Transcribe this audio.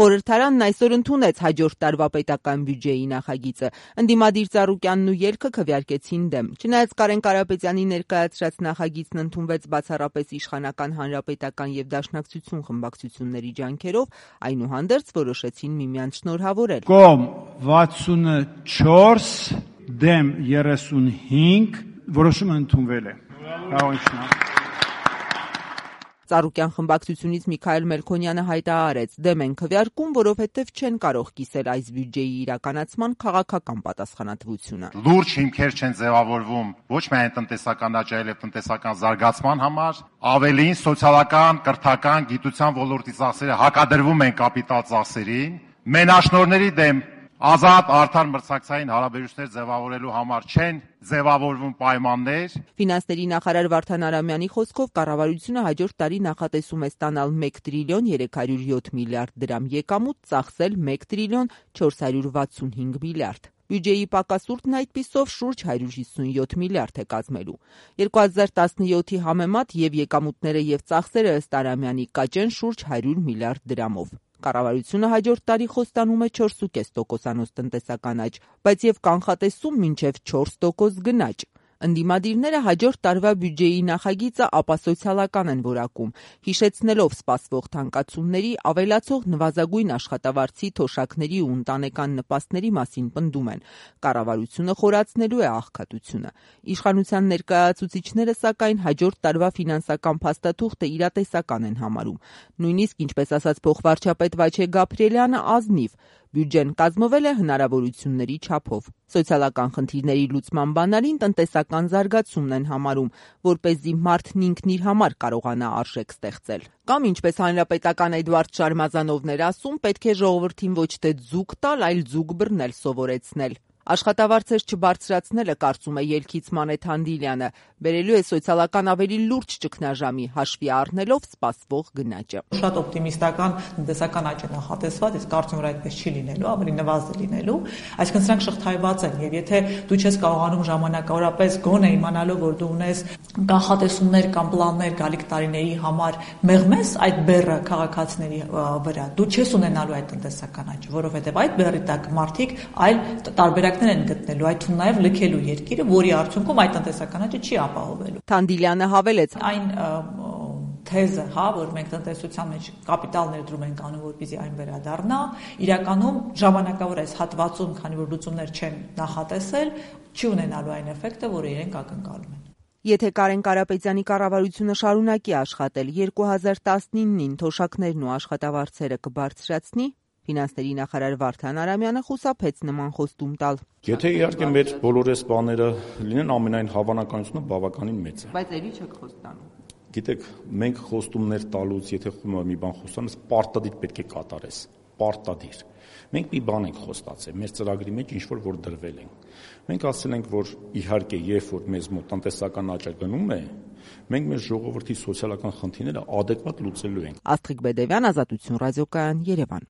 Խորհրդարանն այսօր ընդունեց հաջորդ տարվա պետական բյուջեի նախագիծը։ Ընդդիմադիր Ծառուկյանն ու ելքը քվեարկեցին դեմ։ Չնայած Կարեն Կարապետյանի ներկայացրած նախագիծն ընդունվեց բացառապես իշխանական Հանրապետական եւ Դաշնակցություն խմբակցությունների ջանքերով, այնուհանդերձ որոշեցին միմյանց շնորհավորել։ Կողմ 64, դեմ 35, որոշումը ընդունվել է։ Ծառուկյան խմբակցությունից Միքայել Մելքոնյանը հայտարարեց՝ դեմ են քվեարկում, որովհետև չեն կարող կիսել այս բյուջեի իրականացման քաղաքական պատասխանատվությունը։ Լուրջ հիմքեր չեն ձևավորվում ոչ միայն տնտեսական աճ, այլև տնտեսական զարգացման համար, ավելին սոցիալական, կրթական, գիտության ոլորտի ծախսերը հակադրվում են կապիտալ ծախսերին, մենաշնորհների դեմ ազատ արդար մրցակցային հարաբերություններ ձևավորելու համար չեն ձևավորվում պայմաններ։ Ֆինանսների նախարար Վարդան Արամյանի խոսքով կառավարությունը հաջորդ տարի նախատեսում է ստանալ 1 տրիլիոն 307 միլիարդ դրամ եկամուտ, ծախսել 1 տրիլիոն 465 միլիարդ։ Բյուջեի պակասուրդն այդպիսով շուրջ 157 միլիարդ է կազմելու։ 2017-ի համեմատ եւ եկամուտները եւ ծախսերը ըստ Արամյանի կաճեն շուրջ 100 միլիարդ դրամով։ Կառավարությունը հաջորդ տարի խոստանում է 4,5% տնտեսական աճ, բայց եւ կանխատեսում մինչեւ 4% գնաճ։ Ընդդիմադիրները հաջորդ տարվա բյուջեի նախագիծը ապասոցիալական են որակում, հիշեցնելով սպասվող թանկացումների, ավելացող նվազագույն աշխատավարձի, թոշակների ու ընտանեկան նպաստների մասին պնդում են։ Կառավարությունը խորացնելու է աղքատությունը։ Իշխանության ներկայացուցիչները, սակայն, հաջորդ տարվա ֆինանսական փաստաթուղթը իրատեսական են համարում։ Նույնիսկ, ինչպես ասաց փոխվարչապետ Վաչե Գաբրիելյանը, ազնիվ։ Բյուջեն կազմվել է հնարավորությունների չափով։ Սոցիալական խնդիրների լուծման բանալին տնտեսական զարգացումն են համարում, որպեսզի մարդն ինքն իր համար կարողանա արժեք ստեղծել։ Կամ ինչպես հանրապետական Էդվարդ Շարմազանովն էր ասում, պետք է ժողովրդին ոչ թե ձուկ տալ, այլ ձուկ բռնել սովորեցնել։ Աշխատավարձեր չբարձրացնելը, կարծում է ելքից Մանեթ Հանդիլյանը, բերելու է սոցիալական ավելի լուրջ ճգնաժամի, հաշվի առնելով սպասվող գնաճը։ Շատ օպտիմիստական տնտեսական աճ է նախատեսված, իսկ կարծում եմ, որ այդպես չի լինելու, ավելի նվազ է լինելու, այսինքն սրանք շղթայված են, եւ եթե դու չես կարողանում ժամանակավորապես գոնե իմանալով, որ դու ունես կանխատեսումներ կամ պլաններ գալիք տարիների համար մեղմես այդ բեռը քաղաքացիների վրա, դու չես ունենալու այդ տնտեսական աճ, որովհետեւ այդ բեռի տակ մարդիկ այլ տարբերակներ են գտնելու, այդ թվում նաև լքելու երկիրը, որի արդյունքում այդ տնտեսական աճը չի ապահովելու։ Հանդիլյանը հավելեց. Այն թեզը, որ մենք տնտեսության մեջ կապիտալ ներդրում ենք անում, որպեսզի այն վերադառնա, իրականում ժամանակավոր այս հատվածում, քանի որ լուծումներ չեն նախատեսել, չի ունենալու այն էֆեկտը, որը իրենք ակնկալում են։ Եթե Կարեն Կարապետյանի կառավարությունը շարունակի աշխատել, 2019-ին թոշակներն ու աշխատավարձերը կբարձրացնի, ֆինանսների նախարար Վարդան Արամյանը խուսափեց նման խոստում տալ։ Եթե իհարկե մեր բոլորս բաները լինեն, ամենայն հավանականությունը բավականին մեծ է։ Բայց էլի չեք խոստանում։ Գիտեք, մենք խոստումներ տալուց, եթե մի բան խոսանես, պարտադիր պետք է կատարես, պարտադիր։ Մենք մի բան ենք խոստացել, մեր ծրագրի մեջ ինչ-որ դրվել ենք։ Մենք ասել ենք, որ իհարկե, երբ որ մեզ մոտ տնտեսական աճը գնում է, մենք մեր ժողովրդի սոցիալական խնդիրները adekvat լուծելու ենք։ Աստղիկ Բեդևյան, Ազատություն ռադիոկայան, Երևան։